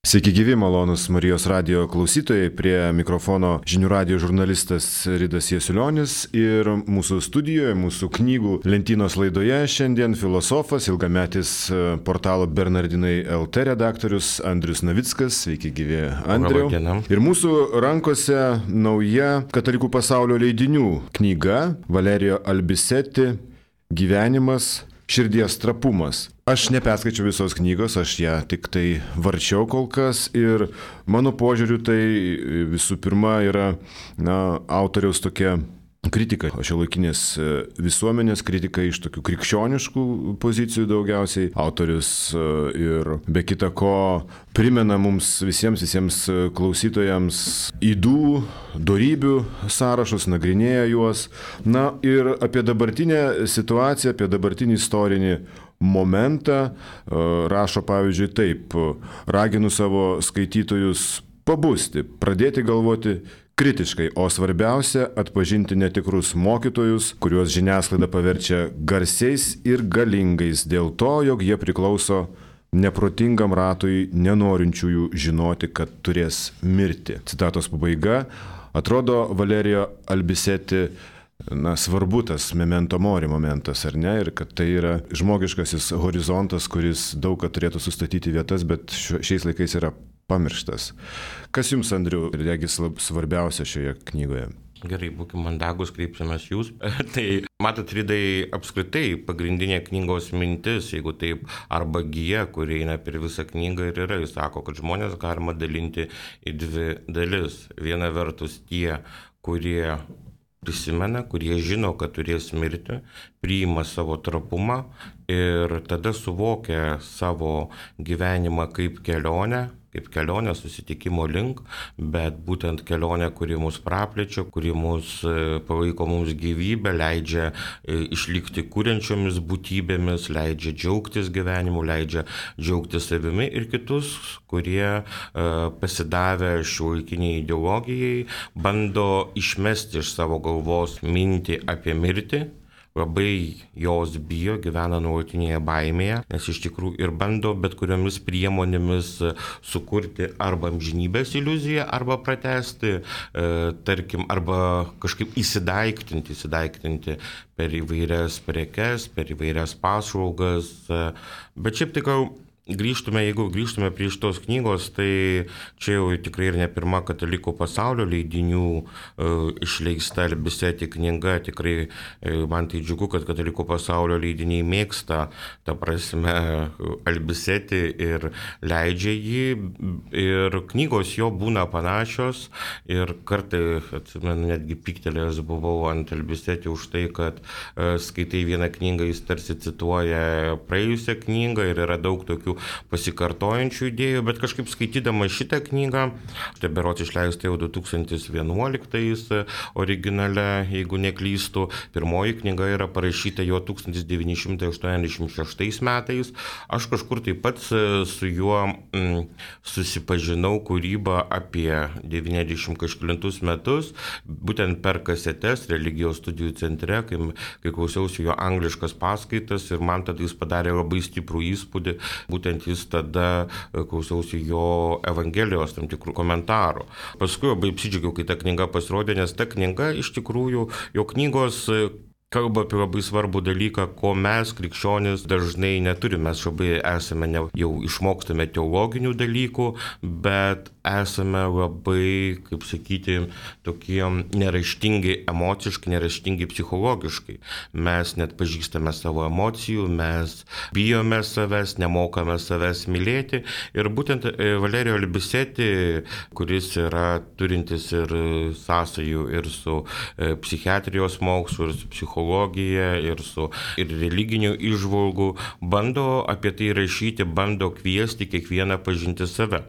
Sveiki gyvi, malonus Marijos radijo klausytojai, prie mikrofono žinių radijo žurnalistas Ridas Jasiulionis ir mūsų studijoje, mūsų knygų lentynos laidoje šiandien filosofas, ilgametis portalo Bernardinai LT redaktorius Andrius Navickas. Sveiki gyvi, Andriau. Ir mūsų rankose nauja Katalikų pasaulio leidinių knyga Valerijo Albiseti Gyvenimas, širdies trapumas. Aš neperskaičiau visos knygos, aš ją tik tai varčiau kol kas ir mano požiūriu tai visų pirma yra autoriaus tokia kritika, šiuolaikinės visuomenės kritika iš tokių krikščioniškų pozicijų daugiausiai. Autorius ir be kita ko primena mums visiems klausytojams ydų, dorybių sąrašus, nagrinėja juos. Na ir apie dabartinę situaciją, apie dabartinį istorinį momentą rašo pavyzdžiui taip: raginu savo skaitytojus pabusti, pradėti galvoti kritiškai, o svarbiausia atpažinti netikrus mokytojus, kuriuos žiniasklaida paverčia garsiais ir galingais dėl to, jog jie priklauso neprotingam ratui nenorinčiųjų žinoti, kad turės mirti. Citatos pabaiga. Atrodo, Valerijo Albiseti svarbu tas memento mori momentas, ar ne? Ir kad tai yra žmogiškasis horizontas, kuris daug ką turėtų sustatyti vietas, bet šiais laikais yra pamirštas. Kas jums, Andriu, regis svarbiausia šioje knygoje? Gerai, būkime mandagus, kreipsimės jūs. Tai, matot, Ridai, apskritai pagrindinė knygos mintis, jeigu taip, arba gija, kuri eina per visą knygą ir yra, jis sako, kad žmonės galima dalinti į dvi dalis. Viena vertus tie, kurie prisimena, kurie žino, kad turės mirti, priima savo trapumą ir tada suvokia savo gyvenimą kaip kelionę susitikimo link, bet būtent kelionė, kuri mus praplečia, kuri mus palaiko mums gyvybę, leidžia išlikti kuriančiomis būtybėmis, leidžia džiaugtis gyvenimu, leidžia džiaugtis savimi, ir kitus, kurie pasidavę šiuolaikiniai ideologijai bando išmesti iš savo galvos mintį apie mirtį. Labai jos bijo, gyvena nuolatinėje baimėje, nes iš tikrųjų ir bando bet kuriomis priemonėmis sukurti arba amžinybės iliuziją, arba pratęsti, tarkim, arba kažkaip įsidaiktinti per įvairias prekes, per įvairias paslaugas. Bet šiaip tai jeigu grįžtume prie šitos knygos, tai čia jau tikrai ir ne pirma Katalikų pasaulio leidinių išleista Albiseti knyga. Tikrai man tai džiugu, kad Katalikų pasaulio leidiniai mėgsta, ta prasme, Albiseti ir leidžia jį. Ir knygos jo būna panašios ir kartai, atsimenu, netgi pyktelėjęs buvau ant Albiseti už tai, kad skaitai vieną knygą, jis tarsi cituoja praėjusią knygą ir yra daug tokių pasikartojančių idėjų, bet kažkaip skaitydama šitą knygą, tai berods išleista jau 2011 originale, jeigu neklystu, pirmoji knyga yra parašyta jo 1986 metais, aš kažkur taip pat su juo susipažinau kūrybą apie 90 kažkelintus metus, būtent per kasetes religijos studijų centre, kai klausiausi jo angliškas paskaitas, ir man tada jis padarė labai stiprų įspūdį, būtent jis tada klausiausi jo Evangelijos tam tikrų komentarų. Paskui labai apsidžiaugiau, kai ta knyga pasirodė, nes ta knyga iš tikrųjų, jo knygos kalba apie labai svarbų dalyką, ko mes, krikščionys, dažnai neturime. Mes labai esame jau išmokstame teologinių dalykų, bet esame labai, kaip sakyti, tokie neraštingi emociškai, neraštingi psichologiškai. Mes net pažįstame savo emocijų, mes bijome savęs, nemokame savęs mylėti. Ir būtent Valerijo Albiseti, kuris yra turintis ir sąsajų ir su psichiatrijos mokslu, ir su psichologija, ir religinių įžvalgų, bando apie tai rašyti, bando kviesti kiekvieną pažinti save.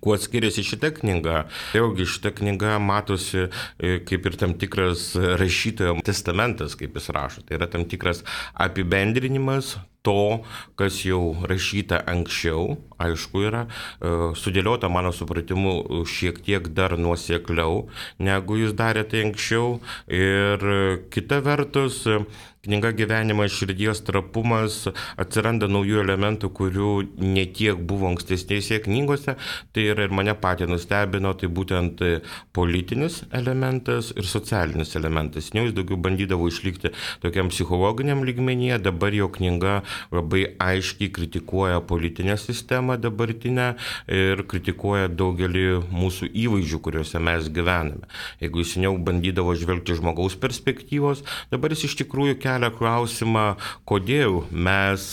Kuo skiriasi šita knyga? Vėlgi šita knyga matosi kaip ir tam tikras rašytojo testamentas, kaip jis rašo. Tai yra tam tikras apibendrinimas to, kas jau rašyta anksčiau, aišku yra, sudėliota mano supratimu šiek tiek dar nuosekliau, negu jis darė tai anksčiau. Ir kita vertus, knyga Gyvenimas, širdies trapumas, atsiranda naujų elementų, kurių netiek buvo ankstesnėse knygose. Tai yra ir mane patį nustebino, tai būtent politinis elementas ir socialinis elementas. Jis daugiau bandydavo išlikti tokiam psichologiniam lygmenyje, dabar jo knyga labai aiškiai kritikuoja politinę sistemą dabartinę ir kritikuoja daugelį mūsų įvaizdžių, kuriuose mes gyvename. Jeigu jis seniau bandydavo žvelgti žmogaus perspektyvos, dabar jis iš tikrųjų kelia klausimą, kodėl mes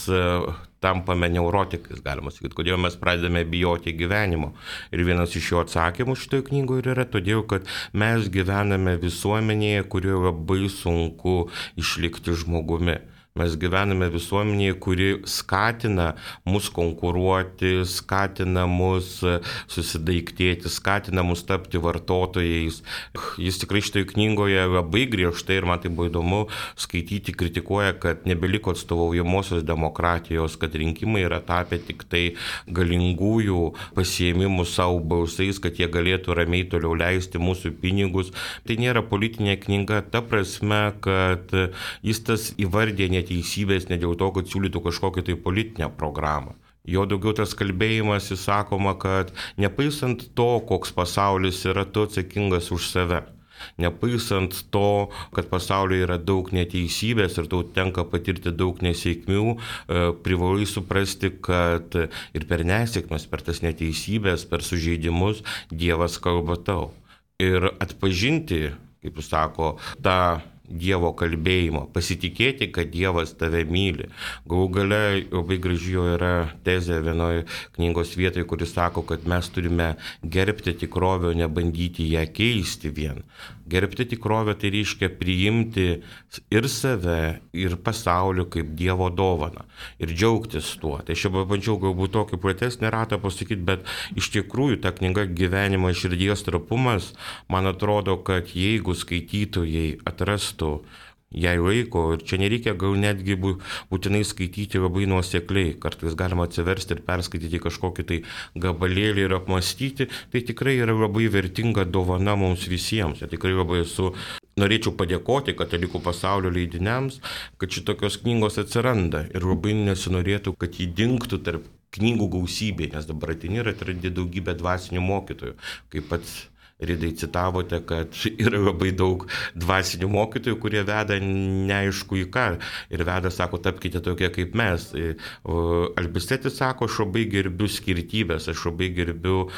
tampame neurotikais, galima sakyti, kodėl mes pradedame bijoti gyvenimo. Ir vienas iš jo atsakymų šitoje knygoje yra todėl, kad mes gyvename visuomenėje, kurioje labai sunku išlikti žmogumi. Mes gyvename visuomenėje, kuri skatina mus konkuruoti, skatina mus susidaiktėti, skatina mus tapti vartotojais. Jis tikrai šitoje knygoje labai griežtai, ir man tai buvo įdomu skaityti, kritikuoja, kad nebeliko atstovaujamosios demokratijos, kad rinkimai yra tapę tik tai galingųjų pasiėmimų savo balsais, kad jie galėtų ramiai toliau leisti mūsų pinigus. Tai nėra politinė knyga ta prasme, kad jis tas įvardė neteisybės ne dėl to, kad siūlytų kažkokią tai politinę programą. Jo daugiau tas kalbėjimas, jis sakoma, kad nepaisant to, koks pasaulis yra, tu atsakingas už save. Nepaisant to, kad pasaulyje yra daug neteisybės ir tau tenka patirti daug nesėkmių, privalai suprasti, kad ir per nesėkmes, per tas neteisybės, per sužeidimus Dievas kalba tau. Ir atpažinti, kaip jis sako, tą Dievo kalbėjimo, pasitikėti, kad Dievas tave myli. Galų gale labai graži jo yra tezė vienoje knygos vietoje, kuris sako, kad mes turime gerbti tikrovę, nebandyti ją keisti vien. Gerbti tikrovę tai reiškia priimti ir save, ir pasaulį kaip Dievo dovaną ir džiaugtis tuo. Tai aš pabandžiau galbūt tokį platesnį ratą pasakyti, bet iš tikrųjų ta knyga Gyvenimas, širdies trapumas, man atrodo, kad jeigu skaitytojai atrastų jai laiko, ir čia nereikia gal netgi būtinai skaityti labai nuosekliai, kartais galima atsiversti ir perskaityti kažkokį tai gabalėlį ir apmastyti, tai tikrai yra labai vertinga dovana mums visiems. Ir tikrai labai norėčiau padėkoti Katalikų pasaulio leidiniams, kad šitokios knygos atsiranda ir labai nesinorėtų, kad jį dingtų tarp knygų gausybė, nes dabar ateini ir atrandi daugybę dvasinių mokytojų, kaip pats Ridai citavote, kad yra labai daug dvasinių mokytojų, kurie veda neaišku į ką. Ir veda, sako, tapkite tokie kaip mes. Albistetis sako, aš labai gerbiu skirtybės, aš labai gerbiu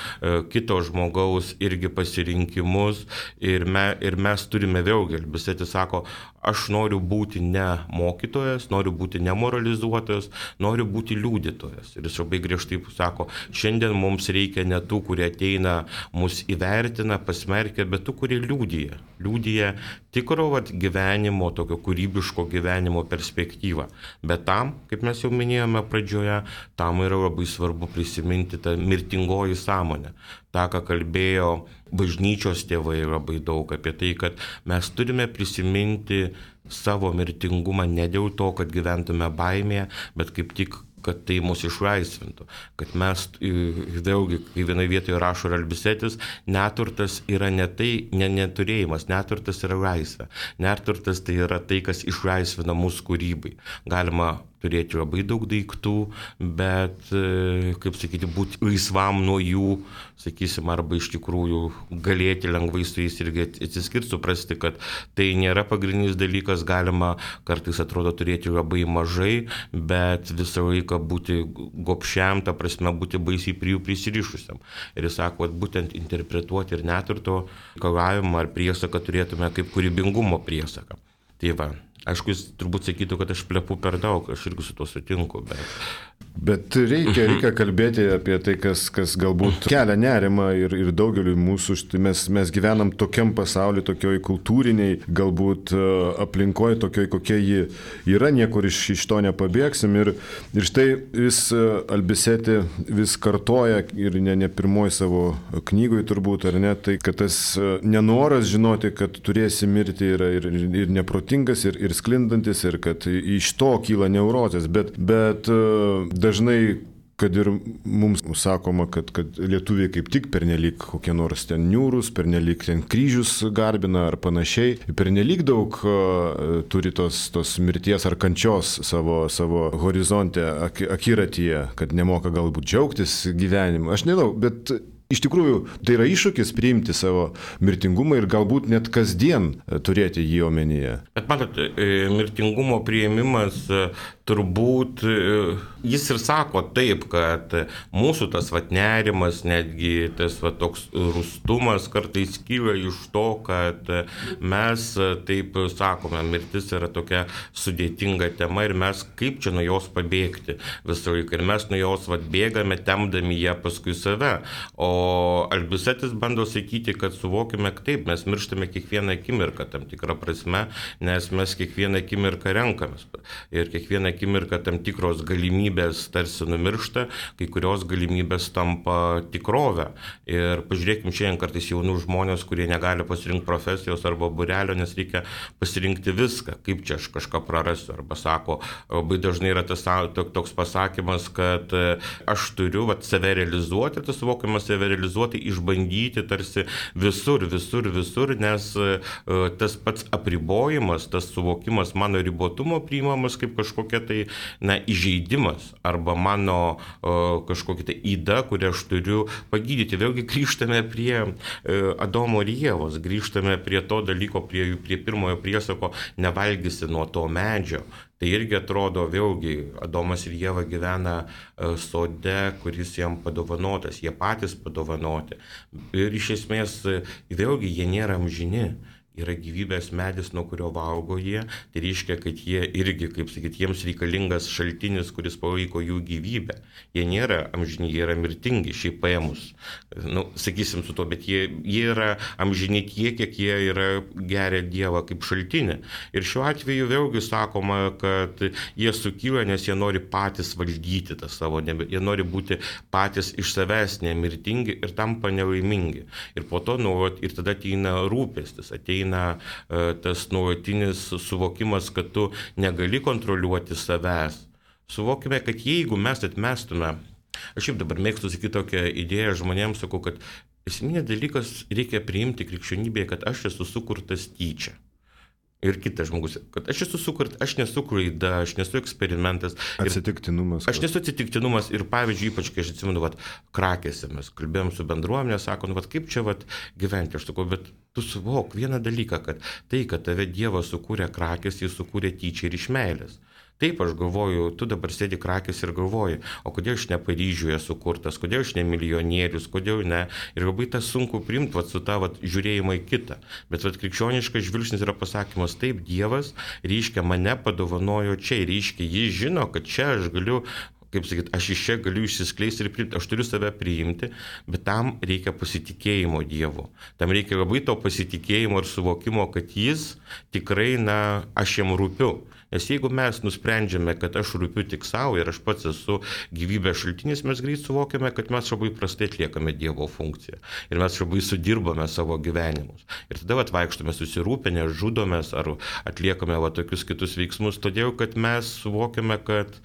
kito žmogaus irgi pasirinkimus. Ir mes turime vėlgi. Albistetis sako, aš noriu būti ne mokytojas, noriu būti ne moralizuotojas, noriu būti liudytojas. Ir jis labai griežtai sako, šiandien mums reikia ne tų, kurie ateina mus įvertina, pasmerkia, bet tų, kurie liudija tikro gyvenimo, tokio kūrybiško gyvenimo perspektyvą. Bet tam, kaip mes jau minėjome pradžioje, tam yra labai svarbu prisiminti tą mirtingoji sąmonę. Ta, ką kalbėjo bažnyčios tėvai labai daug apie tai, kad mes turime prisiminti savo mirtingumą ne dėl to, kad gyventume baimėje, bet kaip tik kad tai mus išlaisvintų, kad mes, vėlgi, kai vienoje vietoje rašo Albistetis, neturtas yra ne tai, neturėjimas, neturtas yra laisvė. Neturtas tai yra tai, kas išlaisvina mūsų kūrybai. Galima turėti labai daug daiktų, bet, kaip sakyti, būti laisvam nuo jų, sakysim, arba iš tikrųjų galėti lengvai su jais irgi atsiskirti, suprasti, kad tai nėra pagrindinis dalykas, galima kartais atrodo turėti labai mažai, bet visą laiką būti gobšiam, ta prasme būti baisiai prie jų prisirišusiam. Ir jis sako, kad būtent interpretuoti ir neturto reikalavimą ar priesaką turėtume kaip kūrybingumo priesaką. Tai va. Aišku, jis turbūt sakytų, kad aš plepu per daug, aš irgi su tuo sutinku, Bet reikia kalbėti apie tai, kas galbūt kelia nerimą ir daugeliui mūsų. Mes gyvenam tokiam pasauliu, tokioj kultūriniai, galbūt aplinkoje, tokioj, kokia ji yra, niekur iš to nepabėgsim. Ir štai vis Albiseti vis kartoja ir ne pirmoji savo knygoje turbūt, ar ne, tai kad tas nenoras žinoti, kad turėsi mirti yra ir neprotingas, ir ir sklindantis, ir kad iš to kyla neurozės, bet dažnai, kad ir mums sakoma, kad lietuviai kaip tik pernelyg kokie nors ten niūrus, pernelyg ten kryžius garbina ar panašiai, pernelyg daug turi tos mirties ar kančios savo horizonte, akiratyje, kad nemoka galbūt džiaugtis gyvenimu. Aš nežinau, bet iš tikrųjų tai yra iššūkis priimti savo mirtingumą ir galbūt net kasdien turėti jį omenyje. Bet matot, mirtingumo priėmimas turbūt, jis ir sako taip, kad mūsų tas nerimas, netgi tas toks rūstumas kartais kyla iš to, kad mes taip sakome, mirtis yra tokia sudėtinga tema ir mes kaip čia nuo jos pabėgti visą laiką. Ir mes nuo jos bėgame, temdami ją paskui save. O Albisetis bando sakyti, kad suvokime, taip, mes mirštame kiekvieną akimirką tam tikrą prasme, nes mes kiekvieną akimirką renkamės. Ir kiekvieną akimirką tam tikros galimybės tarsi numiršta, kai kurios galimybės tampa tikrovę. Ir pažiūrėkime šiandien kartais jaunų žmonės, kurie negali pasirinkti profesijos arba būrelio, nes reikia pasirinkti viską, kaip čia aš kažką prarasiu. Arba sako, labai dažnai yra toks pasakymas, kad aš turiu save realizuoti, tas suvokimas save realizuoti, išbandyti tarsi visur, nes tas pats apribojimas, tas suvokimas mano ribotumo priimamas kaip kažkokia tai įžeidimas arba mano kažkokia tai yda, kurią aš turiu pagydyti. Vėlgi grįžtame prie Adomo ir Ievos, grįžtame prie to dalyko, prie pirmojo priesako, nevalgysi nuo to medžio. Tai irgi atrodo, vėlgi, Adomas ir Ieva gyvena sode, kuris jam padovanotas, jie patys padovanoti. Ir iš esmės, vėlgi, jie nėra amžini. Yra gyvybės medis, nuo kurio valgo jie, tai reiškia, kad jie irgi, kaip sakyti, jiems reikalingas šaltinis, kuris palaiko jų gyvybę. Jie nėra amžini, jie yra mirtingi, šiaip paėmus. Sakysim su to, bet jie yra amžini tiek, kiek jie yra geria Dievą kaip šaltinį. Ir šiuo atveju vėlgi sakoma, kad jie sukyla, nes jie nori patys valdyti tą savo, jie nori būti patys iš savęs nemirtingi ir tampa nelaimingi. Ir po to, ir tada ateina rūpestis, ateina tas nuolatinis suvokimas, kad tu negali kontroliuoti savęs. Suvokime, kad jeigu mes atmestume, aš šiaip dabar mėgstu sakyti tokią idėją žmonėms, sakau, kad esminė dalykas reikia priimti krikščionybėje, kad aš esu sukurtas tyčia. Ir kitas žmogus, kad aš esu sukurtas, aš nesu klaida, aš nesu eksperimentas. Atsitiktinumas. Aš nesu atsitiktinumas ir pavyzdžiui, ypač kai aš atsimenu, Krakėse mes kalbėjom su bendruomenė, sako, kaip čia gyventi, aš sakau, bet tu suvok vieną dalyką, kad tai, kad tave Dievas sukūrė Krakės, jis sukūrė tyčia ir iš meilės. Taip, aš galvoju, tu dabar sėdi Krakės ir galvoji, o kodėl aš ne Paryžiuje sukurtas, kodėl aš ne milijonierius, kodėl ne. Ir labai tas sunku priimti su tą žiūrėjimą į kitą. Bet krikščioniškas žvilgsnis yra pasakymas, taip, Dievas, reiškia, mane padovanojo čia, reiškia, jis žino, kad čia aš galiu, kaip sakyti, aš iš čia galiu išsiskleisti ir priimti, aš turiu save priimti, bet tam reikia pasitikėjimo Dievu. Tam reikia labai to pasitikėjimo ir suvokimo, kad jis tikrai, aš jam rūpiu. Nes jeigu mes nusprendžiame, kad aš rūpiu tik savo ir aš pats esu gyvybės šaltinis, mes greit suvokiame, kad mes labai prastai atliekame Dievo funkciją. Ir mes labai sudirbame savo gyvenimus. Ir tada vaikštome susirūpinę, žudomės ar atliekame tokius kitus veiksmus, todėl kad mes suvokiame, kad,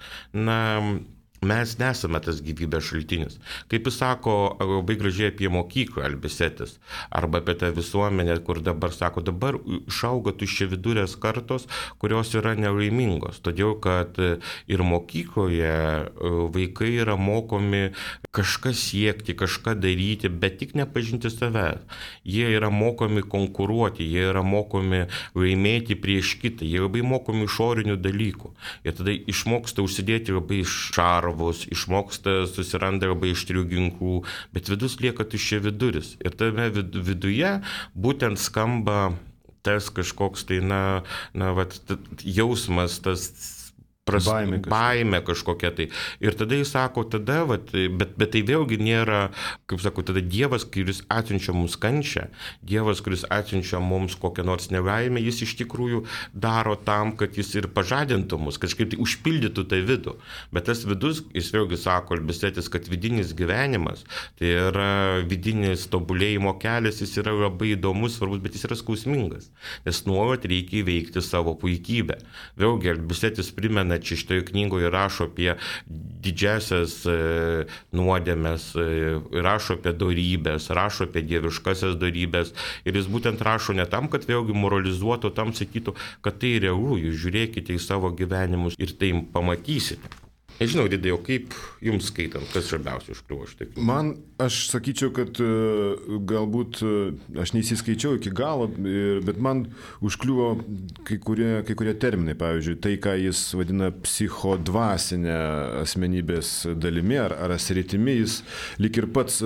mes nesame tas gyvybės šaltinis. Kaip jis sako labai gražiai apie mokyklą Albisetis, arba apie tą visuomenę, kur dabar sako, dabar išauga tuščiavidurės kartos, kurios yra nelaimingos. Todėl, kad ir mokykloje vaikai yra mokomi kažką siekti, kažką daryti, bet tik nepažinti savęs. Jie yra mokomi konkuruoti, jie yra mokomi laimėti prieš kitą, jie labai mokomi išorinių dalykų. Ir tada išmoksta užsidėti labai šarvus, išmoksta, susiranda labai aštrių ginklų, bet vidus lieka tuščiaviduris. Ir tame viduje būtent skamba tas kažkoks tai, jausmas, tas baimė kažkokia tai. Ir tada jis sako, tada, bet tai vėlgi nėra, kaip sako, tada Dievas, kuris atsiunčia mums kančią, Dievas, kuris atsiunčia mums kokią nors nelaimę, jis iš tikrųjų daro tam, kad jis ir pažadintų mus, kažkaip tai užpildytų tą vidų. Bet tas vidus, jis vėlgi sako, Albistetis, kad vidinis gyvenimas, tai yra vidinis tobulėjimo kelias, jis yra labai įdomus, svarbus, bet jis yra skausmingas, nes nuolat reikia įveikti savo puikybę. Vėlgi, Albistetis primena, čia šitoje knygoje rašo apie didžiasias nuodėmes, rašo apie dorybės, rašo apie dieviškasias dorybės ir jis būtent rašo ne tam, kad vėlgi moralizuotų, tam sakytų, kad tai realu, jūs žiūrėkite į savo gyvenimus ir tai pamatysite. Nežinau, Ridai, o kaip jums skaitant, kas svarbiausia užkliuvo štai? Man, aš sakyčiau, kad galbūt aš neįsiskaičiau iki galo, bet man užkliuvo kai kurie terminai, pavyzdžiui, tai, ką jis vadina psichodvasinė asmenybės dalimi ar sritimi, jis lyg ir pats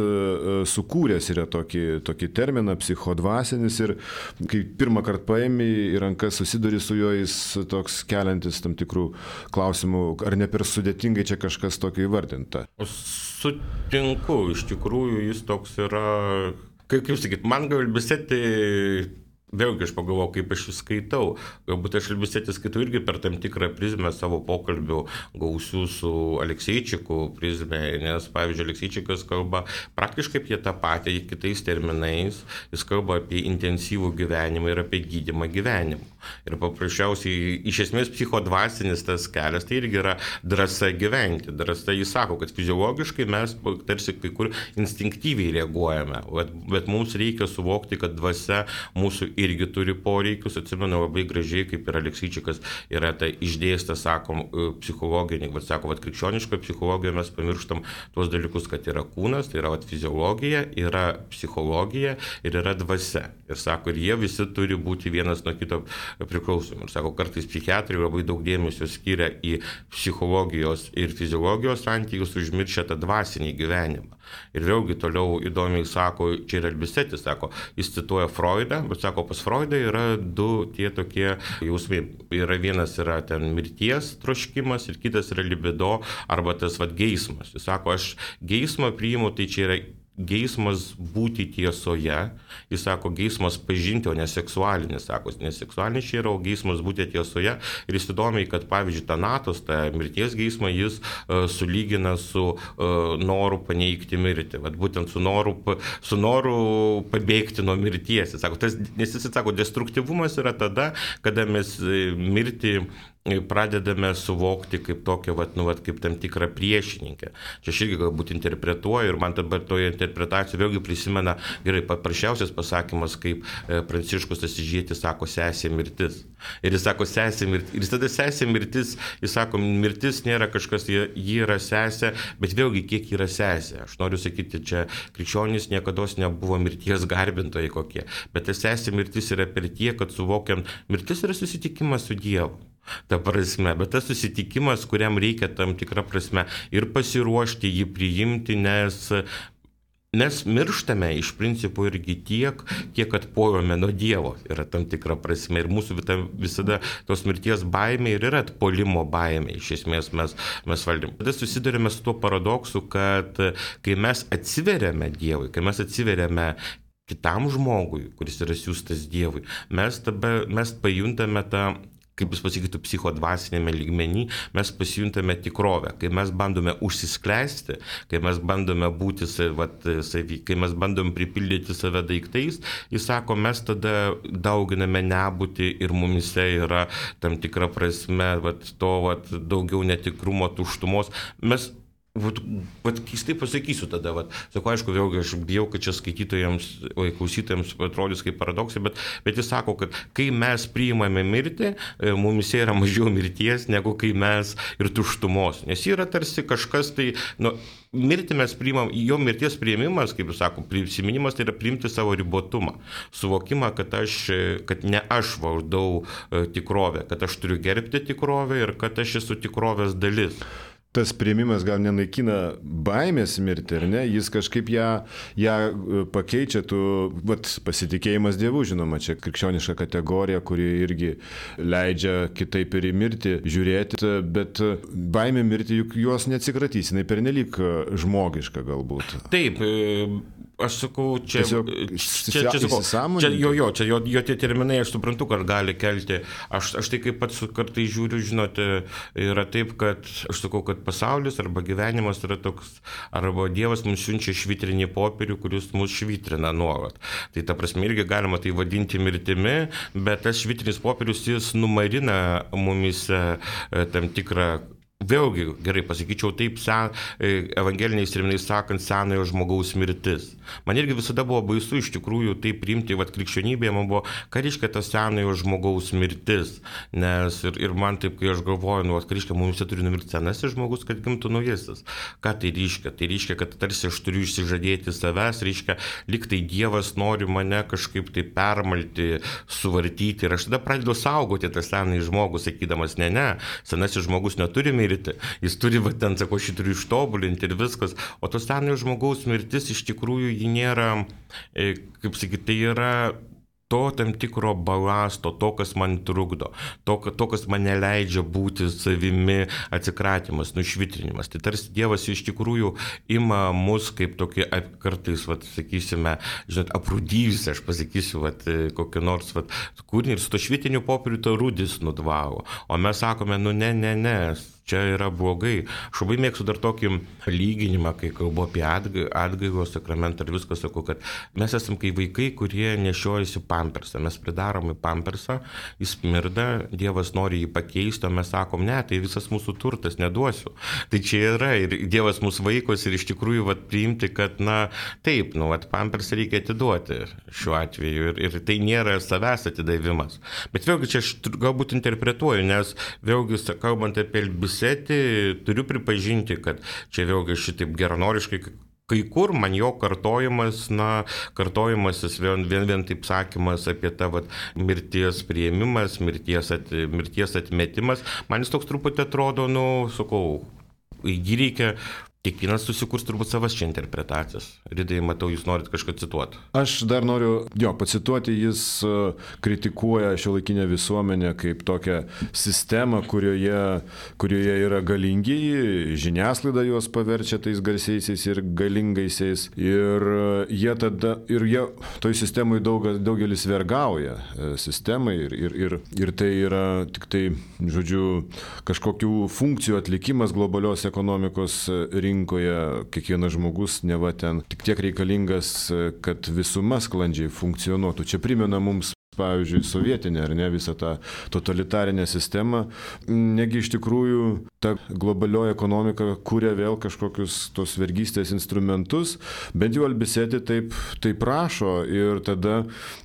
sukūręs yra tokį terminą psichodvasinis ir kai pirmą kartą paėmė į rankas susiduri su juo, jis toks keliantis tam tikrų klausimų, ar ne per sudėtingai čia kažkas tokio įvardinta. Sutinku, iš tikrųjų jis toks yra, kaip sakyt, man gal Albistetis, vėlgi aš pagalvojau, kaip aš jį skaitau. Galbūt aš Albistetis skaitau irgi per tam tikrą prizmę savo pokalbių gausių su Alekseičiku prizmę, nes, pavyzdžiui, Alekseičikas kalba praktiškai apie tą patį kitais terminais, jis kalba apie intensyvų gyvenimą ir apie gydymą gyvenimą. Ir paprasčiausiai, iš esmės, psichodvasinis tas kelias, tai irgi yra drąsa gyventi. Drąsa, jis sako, kad fiziologiškai mes tarsi kai kur instinktyviai reaguojame, bet mums reikia suvokti, kad dvasia mūsų irgi turi poreikius. Atsimenu labai gražiai, kaip ir Alekseičikas yra tai išdėstę, sakom, psichologinį, sako, krikščioniškoje psichologijoje mes pamirštam tuos dalykus, kad yra kūnas, tai yra fiziologija, yra psichologija ir yra dvasia. Ir sako, ir jie visi turi būti vienas nuo kito priklausomi. Ir sako, kartais psichiatrai labai daug dėmesio skiria į psichologijos ir fiziologijos santykius, užmiršę tą dvasinį gyvenimą. Ir vėlgi toliau įdomiai sako, čia ir Albistetis sako, jis cituoja Freudą, bet sako, pas Freudą yra du tie tokie jausmai. Vienas yra ten mirties troškimas ir kitas yra libido arba tas geismas. Jis sako, aš geismą priimu, tai čia yra geismas būti tiesoje, jis sako, geismas pažinti, o ne seksualinis, sako, nes seksualinis čia yra, o geismas būti tiesoje. Ir jis įdomiai, kad pavyzdžiui, Thanatos, tą mirties geismą, jis sulygina su noru paneigti mirtį, būtent su noru pabėgti nuo mirties. Jis sako, nes jis sako, destruktyvumas yra tada, kada mes mirtį pradedame suvokti kaip tokią, kaip tam tikrą priešininkę. Čia aš irgi galbūt interpretuoju ir man dabar toje interpretacijoje vėlgi prisimena, gerai, paprasčiausias pasakymas, kaip Pranciškus Asyžietis sako, sesė mirtis. Ir jis sako, sesė mirtis. Ir tada sesė mirtis, jis sako, mirtis nėra kažkas, ji yra sesė, bet vėlgi kiek yra sesė. Aš noriu sakyti, čia krikščionys niekados nebuvo mirties garbintojai kokie, bet ta sesė mirtis yra per tiek, kad suvokiam, mirtis yra susitikimas su Dievu. Ta prasme, bet tas susitikimas, kuriam reikia tam tikrą prasme ir pasiruošti jį priimti, nes mirštame iš principo irgi tiek, kiek atpuolame nuo Dievo, yra tam tikra prasme. Ir mūsų visada tos mirties baimė ir yra atpuolimo baimė, iš esmės mes valdym. Tada susidurime su tuo paradoksu, kad kai mes atsiveriame Dievui, kai mes atsiveriame kitam žmogui, kuris yra siųstas Dievui, mes pajuntame tą, kaip jis pasakytų, psichodvasinėme lygmenį, mes pasijuntame tikrovę. Kai mes bandome užsiskleisti, kai mes bandome būti kai mes bandome pripildyti save daiktais, jis sako, mes tada dauginame nebūtį ir mumise yra tam tikra prasme daugiau netikrumo, tuštumos. Mes keistai pasakysiu tada, sako, aišku, vėlgi aš bijau, kad čia skaitytojams, klausytojams atrodys kaip paradoksai, bet jis sako, kad kai mes priimame mirtį, mumise yra mažiau mirties, negu kai mes ir tuštumos, nes yra tarsi kažkas tai, mirtį mes priimam, jo mirties priėmimas, kaip jis sako, prisiminimas, tai yra priimti savo ribotumą, suvokimą, kad ne aš valdau tikrovę, kad aš turiu gerbti tikrovę ir kad aš esu tikrovės dalis. tas priėmimas gal nenaikina baimės mirti, ar ne? Jis kažkaip ją pakeičia, pasitikėjimas Dievu, žinoma, čia krikščioniška kategorija, kuri irgi leidžia kitaip ir į mirtį žiūrėti, bet baimė mirti juk jos neatsikratys, jinai pernelyg žmogiška galbūt. Taip, aš sakau, čia jo tie terminai, aš suprantu, kad gali kelti. Aš tai kaip pats kartais žiūriu, žinote, yra taip, kad aš sakau, kad pasaulis arba gyvenimas yra toks, arba Dievas mums siunčia švitrinį popierių, kuris mus švitrina nuolat. Tai ta prasme irgi galima tai vadinti mirtimi, bet tas švitrinis popierius jis numarina mumise tam tikrą. Vėlgi, gerai pasakyčiau, taip evangeliniais terminais sakant, senojo žmogaus mirtis. Man irgi visada buvo baisu iš tikrųjų tai priimti, krikščionybėje man buvo, ką reiškia tas senojo žmogaus mirtis. Nes ir man taip, kai aš galvoju, ką reiškia, mums turi numirti senasis žmogus, kad gimtų naujasis. Ką tai reiškia? Tai reiškia, kad tarsi aš turiu išsižadėti savęs, reiškia, lyg tai Dievas nori mane kažkaip tai permalti, suvartyti. Ir aš tada pradedu saugoti tą senąjį žmogų, sakydamas, ne, senasis žmogus neturi mirti. Jis turi, šį turiu ištobulinti ir viskas. O to senojo žmogaus mirtis iš tikrųjų ji nėra, kaip sakyti, tai yra to tam tikro balasto, to, kas man trukdo, to, kas man neleidžia būti savimi, atsikratymas, nušvitrinimas. Tai tarsi Dievas iš tikrųjų ima mus kaip tokį kartais, sakysime, aprūdyjusi, aš pasakysiu, kokį nors kūrinį ir su to švitriniu popieriu to rūdis nudvalo. O mes sakome, ne, čia yra blogai. Aš labai mėgstu dar tokį lyginimą, kai kalbu apie atgaivos sakramentą ir viską sakau, kad mes esam kaip vaikai, kurie nešiojasi pampersą. Mes pridarom į pampersą, jis smirda, Dievas nori jį pakeisti, o mes sakom, ne, tai visas mūsų turtas, neduosiu. Tai čia yra ir Dievas mūsų vaikos ir iš tikrųjų priimti, kad, taip, pampersą reikia atiduoti šiuo atveju ir tai nėra savęs atidavimas. Bet vėlgi čia aš galbūt interpretuoju, nes vėlgi, kalbant apie Elbisetį, turiu pripažinti, kad čia vėlgi šitaip geranoriškai, kai kur man jo kartojimasis vien taip sakymas apie tą mirties priėmimas, mirties atmetimas, man jis toks truputį atrodo, sakau, jį reikia. Kiekvienas susikurs turbūt savas čia interpretacijas. Ridai, matau, jūs norit kažką cituoti. Aš dar noriu pacituoti, jis kritikuoja šiuolaikinę visuomenę kaip tokią sistemą, kurioje yra galingieji, žiniasklaida juos paverčia tais garsiaisiais ir galingaisiais. Ir jie toj sistemoje daugelis vergauja sistemai ir tai yra tik tai, kažkokių funkcijų atlikimas globalios ekonomikos rinkoje, kiekvienas žmogus neva ten tik tiek reikalingas, kad visuma sklandžiai funkcionuotų. Čia primena mums, pavyzdžiui, sovietinė, ar ne, visą tą totalitarinę sistemą. Negi iš tikrųjų ta globalioji ekonomika kuria vėl kažkokius tos vergystės instrumentus, bent jau Elbisetį taip rašo ir tada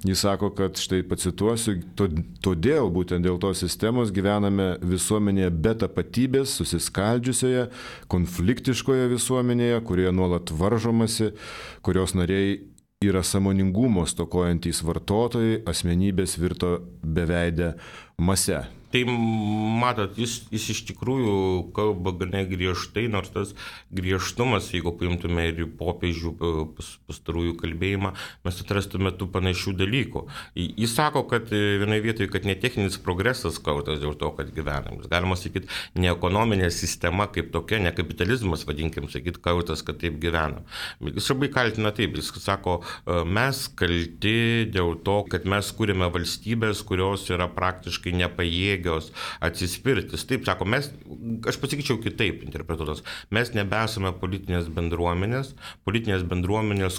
jis sako, kad štai pacituosiu, todėl būtent dėl tos sistemos gyvename visuomenėje be tapatybės, susiskaldžiusioje, konfliktiškoje visuomenėje, kurioje nuolat varžomasi, kurios nariai yra sąmoningumo stokojantys vartotojai, asmenybės virto beveidę mase. Tai matot, jis iš tikrųjų kalba gana griežtai, nors tas griežtumas, jeigu paimtume ir popiežių pastarųjų kalbėjimą, mes atrastume tų panašių dalykų. Jis sako, kad vienoje vietoje, kad ne techninis progresas kaltas dėl to, kad gyvenam. Galima sakyti, ne ekonominė sistema kaip tokia, ne kapitalizmas, vadinkim, sakyti, kaltas, kad taip gyvenam. Jis labai kaltina taip, jis sako, mes kalti dėl to, kad mes kūrėme valstybės, kurios yra praktiškai nepajėgios atsispirtis. Taip, sako, aš pasakyčiau kitaip interpretuotas, mes nebesame politinės bendruomenės,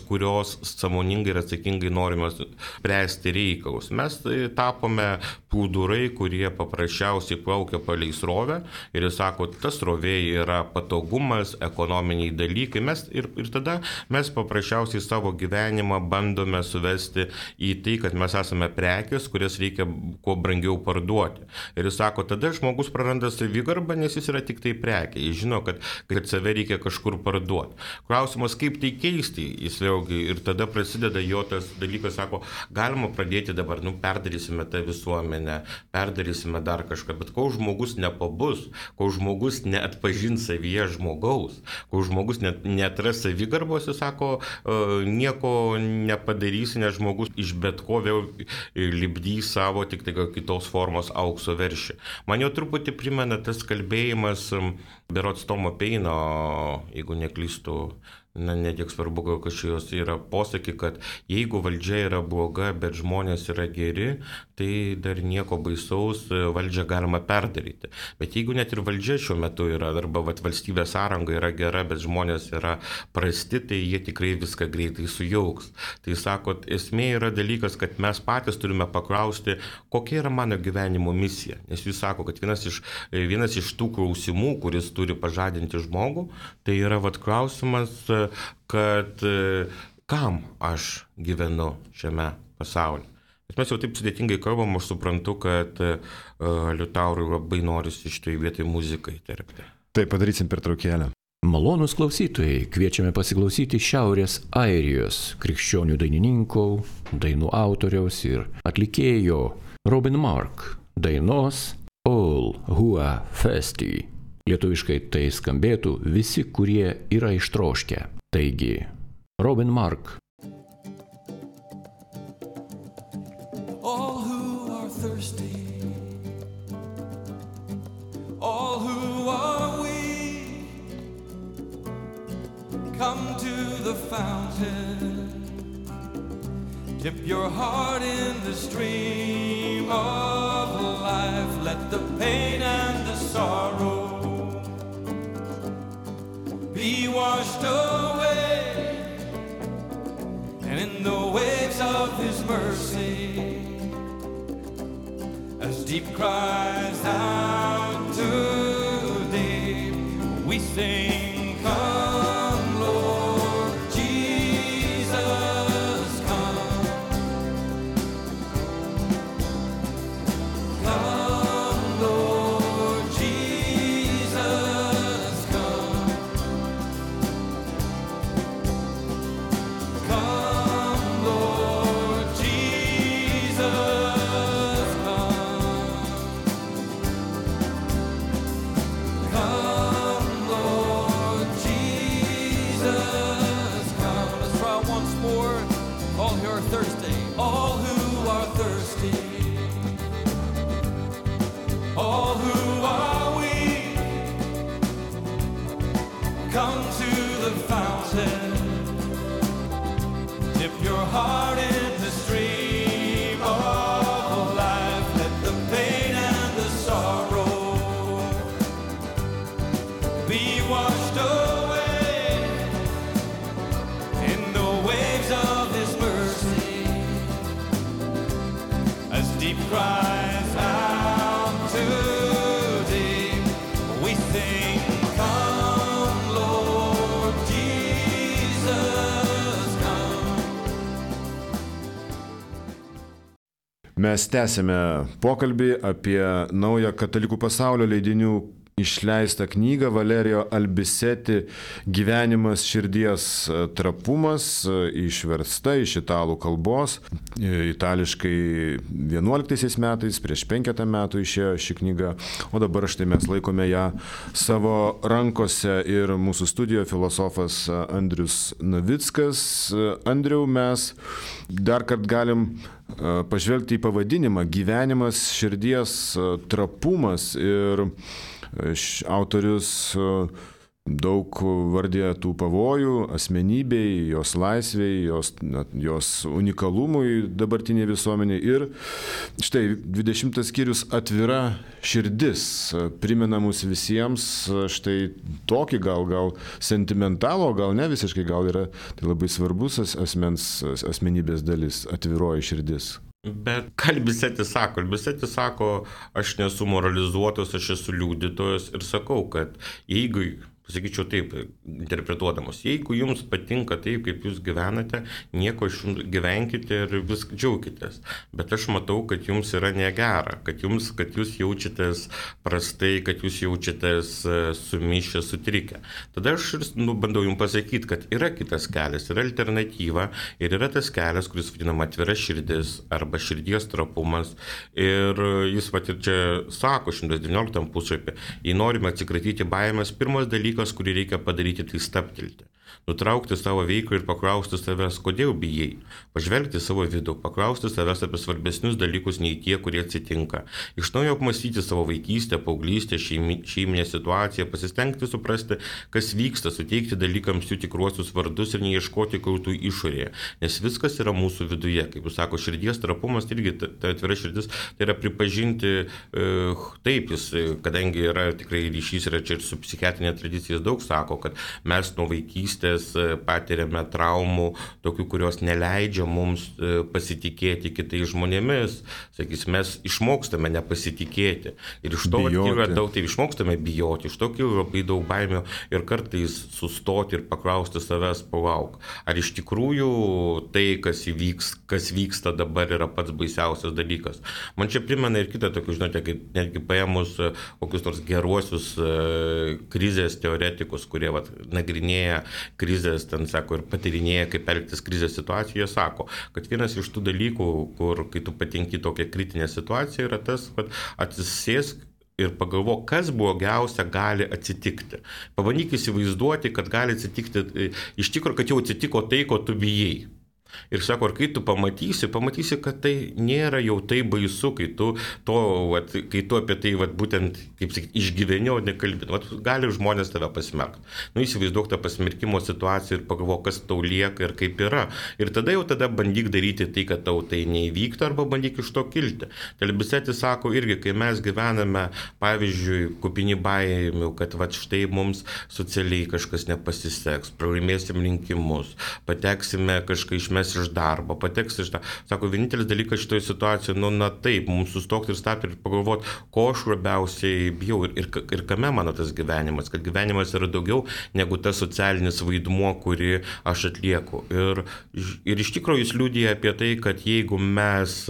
kurios sąmoningai ir atsakingai norime spręsti reikalus. Mes tapome plūdurai, kurie paprasčiausiai plaukia palei srovę ir jis sako, ta srovė yra patogumas, ekonominiai dalykai. Ir tada mes paprasčiausiai savo gyvenimą bandome suvesti į tai, kad mes esame prekės, kurias reikia kuo brangiau parduoti. Ir jis sako, tada žmogus praranda savigarbą, nes jis yra tik tai prekė. Jis žino, kad save reikia kažkur parduoti. Klausimas, kaip tai keisti, jis vėlgi, ir tada prasideda jo tas dalykas, sako, galima pradėti dabar, perdarysime tą visuomenę, visuomenę, perdarysime dar kažką, bet kol žmogus nepabus, kol žmogus neatpažins savyje žmogaus, kol žmogus netras savigarbos, jis sako, nieko nepadarysi, nes žmogus iš bet ko vėl lipdys savo tik tai kitos formos aukso veršį. Man jau truputį primena tas kalbėjimas berods Tomo Peino, jeigu neklystu, netiek svarbu, kad šios yra posakį, kad jeigu valdžia yra bloga, bet žmonės yra geri, tai dar nieko baisaus, valdžią galima perdaryti. Bet jeigu net ir valdžia šiuo metu yra, arba valstybės sąranga yra gera, bet žmonės yra prasti, tai jie tikrai viską greitai sujauks. Tai sakot, esmė yra dalykas, kad mes patys turime paklausti, kokia yra mano gyvenimo misija. Nes jūs sako, kad vienas iš tų klausimų, kuris turi pažadinti žmogų, tai yra klausimas, kad kam aš gyvenu šiame pasaulyje. Bet mes jau taip sudėtingai kalbam, aš suprantu, kad Liutaurui labai norisi šitoj vietoj muziką įterpti. Tai padarysim pertraukėlę. Malonūs klausytojai, kviečiame pasiklausyti Šiaurės Airijos krikščionių dainininkų, dainų autoriaus ir atlikėjo Robin Mark dainos All Who Are Thirsty. Lietuviškai tai skambėtų visi, kurie yra ištroškę. Taigi, Robin Mark. All who are thirsty, all who are weak, come to the fountain, dip your heart in the stream of life, let the pain and the sorrow be washed away, and in the waves of His mercy, as deep cries out to deep, we sing, come Lord Jesus, come. Come Lord Jesus, come. Come Lord Jesus, come Lord Jesus, come. Let's try once more. All who are thirsty, all who are thirsty, all who are weak, come to the fountain, dip your heart in the stream of life, let the pain and the sorrow be washed away in the waves of His mercy, as deep cries out to deep, we sing, come Lord Jesus, come. Mes tęsime pokalbį apie naują katalikų pasaulio leidinių išleistą knygą Valerijo Albiseti Gyvenimas širdies trapumas, išversta iš italų kalbos. Itališkai 11 metais, prieš 5 metų išėjo ši knyga, o dabar štai mes laikome ją savo rankose ir mūsų studijoje filosofas Andrius Navickas. Andriau, mes dar kart galim pažvelgti į pavadinimą Gyvenimas širdies trapumas ir autorius daug vardė tų pavojų asmenybei, jos laisvei, jos unikalumui dabartiniai visuomeniai. Ir štai 20 skyrius atvira širdis primena mus visiems štai tokį gal sentimentalų, gal ne visiškai, gal yra tai labai svarbus asmenybės dalis, atviroji širdis. Bet Albisetis sako, aš nesu moralizuotas, aš esu liudytojas ir sakau, kad jeigu pasakyčiau taip, interpretuodamos, jeigu jums patinka taip, kaip jūs gyvenate, nieko iš jums gyvenkite ir vis džiaukitės. Bet aš matau, kad jums yra negera, kad jūs jaučiatės prastai, kad jūs jaučiatės sumišę, sutrikę. Tada aš bandau jums pasakyti, kad yra kitas kelias, yra alternatyva ir yra tas kelias, kuris vadinama atvira širdis arba širdies trapumas. Ir jis ir čia sako 119 puslapį, jei norime atsikratyti baimės, pirmas dalykas, kurį reikia padaryti, tai stabtelti. Nutraukti savo veiklą ir paklausti savęs, kodėl bijai. Pažvelgti savo vidų, paklausti savęs apie svarbesnius dalykus nei tie, kurie atsitinka. Iš naujo apmąstyti savo vaikystę, paauglystę, šeiminę situaciją, pasistengti suprasti, kas vyksta, suteikti dalykams jų tikruosius vardus ir neieškoti kaltų išorėje. Nes viskas yra mūsų viduje. Kaip jūs sako, širdies trapumas, irgi ta atvira širdis, tai yra pripažinti taip, jis, kadangi yra tikrai ryšys yra čia ir su psichiatrinė tradicija, jis daug sako, kad mes nuo vaikystės patiriame traumų, tokių, kurios neleidžia mums pasitikėti kitais žmonėmis. Sakys, mes išmokstame nepasitikėti. Ir iš to kyla daug, tai išmokstame bijoti, iš to kyla labai daug baimių ir kartais sustoti ir paklausti savęs, palauk. Ar iš tikrųjų tai, kas vyksta dabar, yra pats baisiausias dalykas. Man čia primena ir kitą tokį, žinote, kaip netgi paėmus kokius nors geruosius krizės teoretikus, kurie nagrinėja krizės, ten sako, ir patyrinėja, kaip elgtis krizės situacijoje, sako, kad vienas iš tų dalykų, kur, kai tu patenki tokią kritinę situaciją, yra tas, kad atsisėsk ir pagalvok, kas blogiausia gali atsitikti. Pabandyk įsivaizduoti, kad gali atsitikti, iš tikrųjų, kad jau atsitiko tai, ko tu bijai. Ir sako, ar kai tu pamatysi, kad tai nėra jau tai baisu, kai tu apie tai būtent, kaip sakyti, išgyveni, o nekalbėti. Gali žmonės tave pasmerkti. Įsivaizduok tą pasmerkimo situaciją ir pagalvok, kas tau lieka ir kaip yra. Ir tada bandyk daryti tai, kad tau tai neįvyktų, arba bandyk iš to kilti. Telbisetis sako irgi, kai mes gyvename, pavyzdžiui, kupini baimių, kad štai mums socialiai kažkas nepasiseks, pralaimėsim rinkimus, pateksime kažką išmesti iš darbo, pateks iš tą. Sako, vienintelis dalykas šitoje situacijoje, taip, mums sustokti ir stabti ir pagalvoti, ko aš labiausiai bijau ir kame mano tas gyvenimas, kad gyvenimas yra daugiau negu tas socialinis vaidmuo, kurį aš atlieku. Ir iš tikrųjų jis liudija apie tai, kad jeigu mes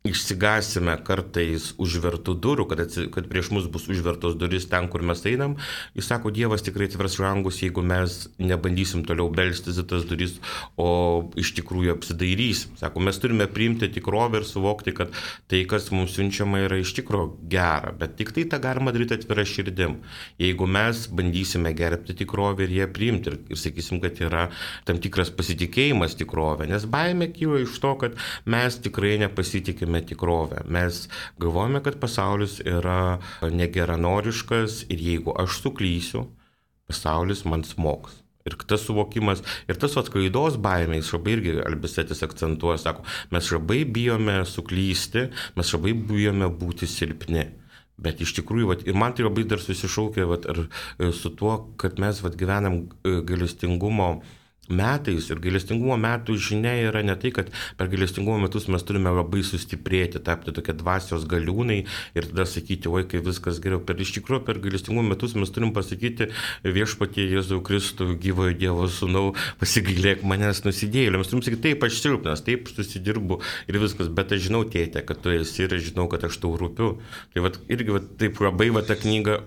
išsigasime kartais užvertų durų, kad prieš mus bus užvertos duris ten, kur mes einam. Jis sako, Dievas tikrai atvers langus, jeigu mes nebandysim toliau belstis į tas duris, o iš tikrųjų apsidairysim. Sako, mes turime priimti tikrovę ir suvokti, kad tai, kas mums siunčiama, yra iš tikrųjų gera, bet tik tai tą galima daryti atvira širdim. Jeigu mes bandysime gerbti tikrovę ir ją priimti ir sakysim, kad yra tam tikras pasitikėjimas tikrovė, nes baimė kyla iš to, kad mes tikrai nepasitikime tikrovę. Mes galvojame, kad pasaulis yra negeranoriškas ir jeigu aš suklysiu, pasaulis man smogs. Ir tas suvokimas, ir tas klaidos baimė, jis labai irgi Albisetis akcentuoja, sako, mes labai bijome suklysti, mes labai bijome būti silpni. Bet iš tikrųjų, ir man tai labai dar susišaukia su tuo, kad mes gyvenam gailestingumo metais ir gailestingumo metų žinia yra ne tai, kad per gailestingumo metus mes turime labai sustiprėti, tapti tokie dvasios galiūnai ir tada sakyti, oi, kai viskas geriau. Iš tikrųjų, per gailestingumo metus mes turim pasakyti, Viešpatie Jėzau Kristų, gyvojo Dievo Sūnau, pasigailėk manęs nusidėjėlio. Mes turim sakyti, taip, aš silpnas, taip, susidirbu ir viskas, bet aš žinau, tėte, kad tu esi ir žinau, kad aš tau rūpiu. Tai irgi taip labai ta knyga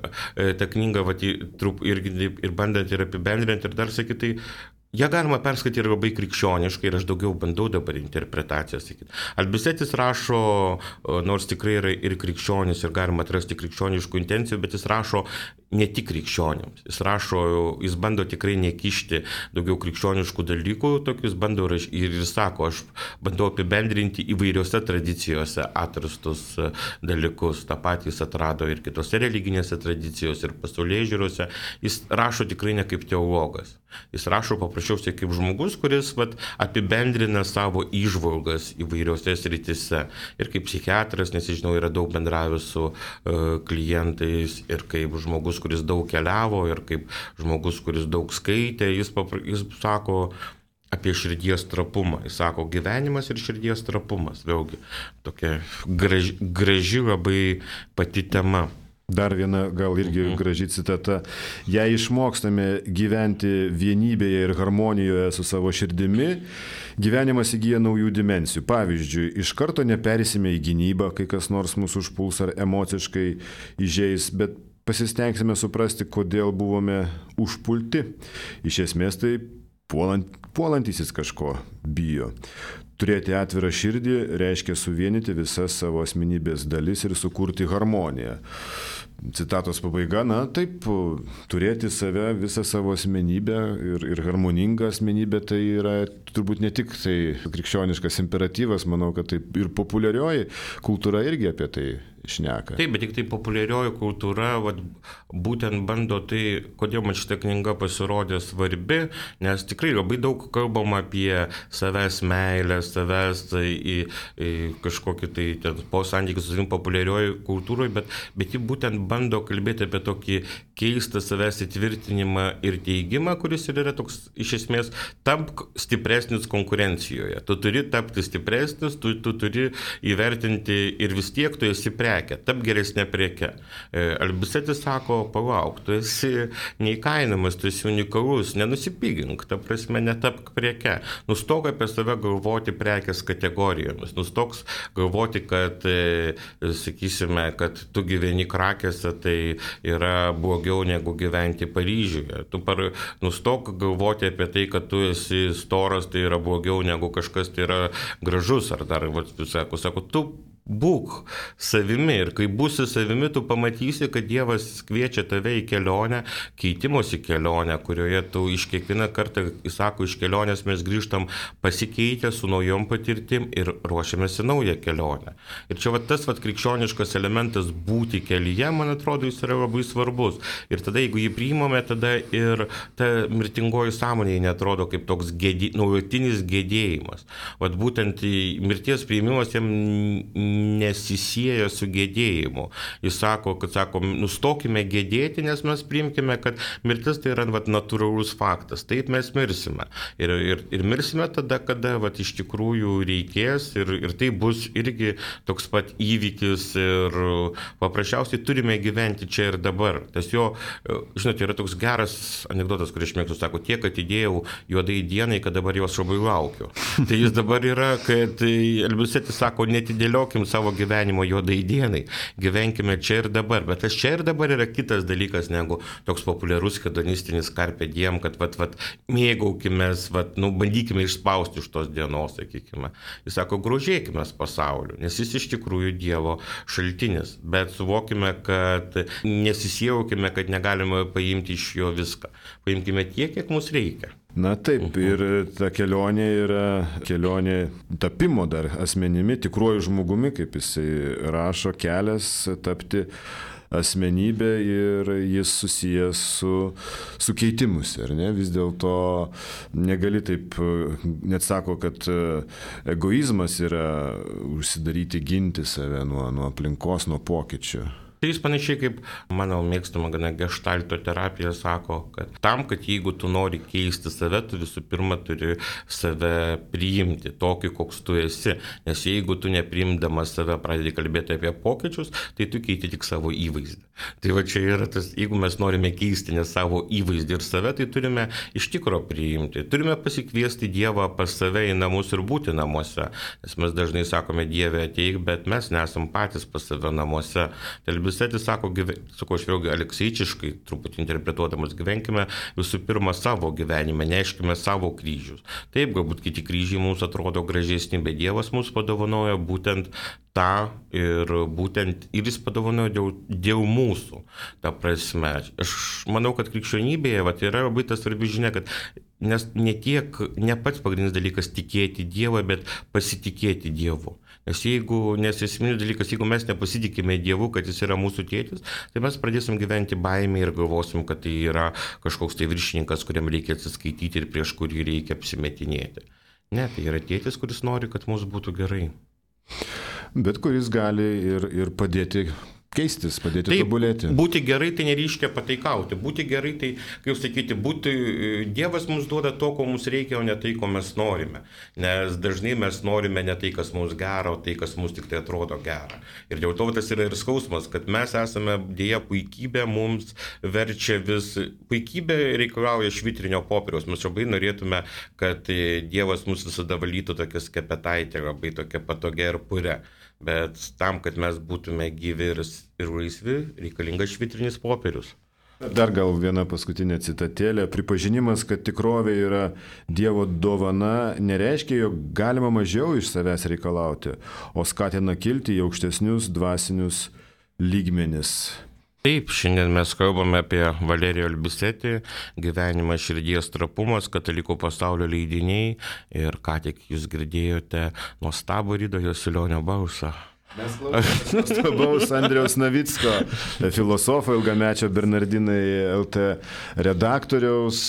irgi ir bandant ir apibendrinti ir dar sakyti, tai ją galima perskaityti ir labai krikščioniškai ir aš daugiau bandau dabar interpretaciją sakyti. Albisetis rašo, nors tikrai yra ir krikščionis ir galima atrasti krikščioniškų intencijų, bet jis rašo ne tik krikščionims. Jis bando tikrai nekišti daugiau krikščioniškų dalykų, tokius bando ir jis sako, aš bandau apibendrinti įvairiose tradicijose atrastus dalykus. Ta patys atrado ir kitose religinėse tradicijose ir pasaulėžiūrose. Jis rašo tikrai ne kaip teologas. Jis rašo paprasčiausiai kaip žmogus, kuris apibendrina savo įžvalgas įvairiose srityse. Ir kaip psichiatras, nes žinau, yra daug bendravęs su klientais ir kaip žmogus, kuris daug keliavo ir kaip žmogus, kuris daug skaitė, jis sako apie širdies trapumą. Jis sako, gyvenimas ir širdies trapumas. Vėlgi, tokia graži labai pati tema. Dar viena gal irgi graži citata. Jei išmokstame gyventi vienybėje ir harmonijoje su savo širdimi, gyvenimas įgyja naujų dimensijų. Pavyzdžiui, iš karto nepersime į gynybą, kai kas nors mūsų užpuls ar emociškai įžeis, bet pasistengsime suprasti, kodėl buvome užpulti. Iš esmės tai puolantysis kažko bijo. Turėti atvirą širdį reiškia suvienyti visas savo asmenybės dalis ir sukurti harmoniją. Citatos pabaiga, na taip, turėti save, visą savo asmenybę ir harmoningą asmenybę, tai yra turbūt ne tik tai krikščioniškas imperatyvas, manau, kad taip ir populiarioji kultūra irgi apie tai šneka. Taip, bet tik tai populiarioji kultūra būtent bando tai, kodėl man šitą knygą pasirodė svarbi, nes tikrai labai daug kalbam apie savęs meilę, savęs į kažkokį tai po santykių su savim populiarioji kultūroje, bet ji būtent bando kalbėti apie tokį keistą savęs įtvirtinimą ir teigimą, kuris ir yra toks, iš esmės, tamp stipresnis konkurencijoje. Tu turi tapti stipresnis, tu turi įvertinti ir vis tiek tu esi prekę, tap geresnė preke. Albisetis sako, palauk, tu esi neįkainamas, tu esi unikalus, nenusipigink, ta prasme, netapk preke. Nustok apie save galvoti prekės kategorijomis, nustok galvoti, kad, sakysime, kad tu gyveni Krakėse, tai yra blogiau negu gyventi Paryžiuje. Tu nustok galvoti apie tai, kad tu esi storas, tai yra blogiau negu kažkas tai yra gražus, ar dar, sako, tu būk savimi ir kai būsi savimi, tu pamatysi, kad Dievas kviečia tave į kelionę, keitimosi kelionę, kurioje tu iš kiekvieną kartą, jis sako, iš kelionės mes grįžtam pasikeitę su naujom patirtim ir ruošiamės į naują kelionę. Ir čia tas krikščioniškas elementas būti kelyje, man atrodo, jis yra labai svarbus. Ir tada, jeigu jį priimame, tada ir ta mirtingoji sąmonė neatrodo kaip toks nuolatinis gedėjimas. Būtent mirties priimimas jam nesisieja su gedėjimu. Jis sako, nustokime gedėti, nes mes priimkime, kad mirtis tai yra natūralus faktas. Taip mes mirsime. Ir mirsime tada, kada iš tikrųjų reikės ir tai bus irgi toks pat įvykis ir paprasčiausiai turime gyventi čia ir dabar. Tas jo, žinote, yra toks geras anekdotas, kurį aš mėgstu, sako, tiek atidėjau juodai dienai, kad dabar jos labai laukiu. Tai jis dabar yra, kad Albisetis sako, netidėliokim savo gyvenimo juodai dienai, gyvenkime čia ir dabar, bet tas čia ir dabar yra kitas dalykas negu toks populiarus hedonistinis carpe diem, kad mėgaukimės, bandykime išspausti iš tos dienos, sakykime. Jis sako, grožėkime pasauliu, nes jis iš tikrųjų Dievo šaltinis, bet suvokime, kad nesisijaukime, kad negalime paimti iš jo viską. Paimkime tiek, kiek mums reikia. Na taip, ir ta kelionė yra kelionė tapimo dar asmenimi, tikruoju žmogumi, kaip jisai rašo, kelias tapti asmenybė ir jis susijęs su keitimus, ar ne? Vis dėlto negali taip, net sako, kad egoizmas yra užsidaryti, ginti save nuo aplinkos, nuo pokyčių. Tai jis panašiai kaip mano mėgstama geštalto terapija sako, kad tam, kad jeigu tu nori keisti save, tu visų pirma turi save priimti tokį, koks tu esi. Nes jeigu tu nepriimdamas save pradedi kalbėti apie pokyčius, tai tu keiti tik savo įvaizdį. Tai čia yra tas, jeigu mes norime keisti ne savo įvaizdį ir save, tai turime iš tikro priimti. Turime pasikviesti Dievą pas save į namus ir būti namuose. Nes mes dažnai sakome, Dieve ateik, bet mes nesam patys pas save namuose. Albisetis sako, aš vėlgi alekseičiškai truputį interpretuodamas, gyvenkime visų pirma savo gyvenime, neškime savo kryžius. Taip, galbūt kiti kryžiai mums atrodo gražesni, bet Dievas mums padovanoja būtent tą ir jis padovanoja dėl mūsų. Ta prasme, aš manau, kad krikščionybėje yra labai tas svarbi žinia, kad nes ne pats pagrindinis dalykas tikėti Dievą, bet pasitikėti Dievu. Nes esminis dalykas, jeigu mes nepasitikime Dievu, kad jis yra mūsų tėtis, tai mes pradėsim gyventi baimę ir galvosim, kad tai yra kažkoks tai viršininkas, kuriam reikia atsiskaityti ir prieš kurį reikia apsimetinėti. Ne, tai yra tėtis, kuris nori, kad mums būtų gerai. Bet kuris gali ir padėti keistis, padėti tobulėti. Būti gerai tai nereiškia pataikauti. Būti gerai tai, kaip sakyti, Dievas mums duoda to, ko mums reikia, o ne tai, ko mes norime. Nes dažnai mes norime ne tai, kas mums gera, o tai, kas mums tik tai atrodo gera. Ir dėl to tas yra ir skausmas, kad mes esame dėja puikybė, mums verčia puikybė reikalauja švitrinio popieriaus. Mes labai norėtume, kad Dievas mus visada valytų tokia skepetaitė, labai tokia patogia ir pure. Bet tam, kad mes būtume gyvi ir laisvi, reikalingas švitrinis popierius. Dar gal viena paskutinė citatėlė. Pripažinimas, kad tikrovė yra Dievo dovana, nereiškia, jog galima mažiau iš savęs reikalauti, o skatina kilti į aukštesnius dvasinius lygmenis. Taip, šiandien mes kalbame apie Valerijo Albisetį, Gyvenimą širdies trapumas, Katalikų pasaulio leidiniai ir ką tik jūs girdėjote nuostabų Rido Jasulionio balsą. Mes klausomės nuostabaus Andriaus Navicko, filosofo, ilgamečio Bernardinai LT redaktoriaus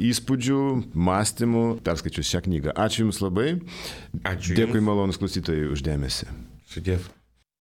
įspūdžių, mąstymų, perskaičius šią knygą. Ačiū Jums labai. Ačiū. Dėkui malonus klausytojai už dėmesį. Sudėv.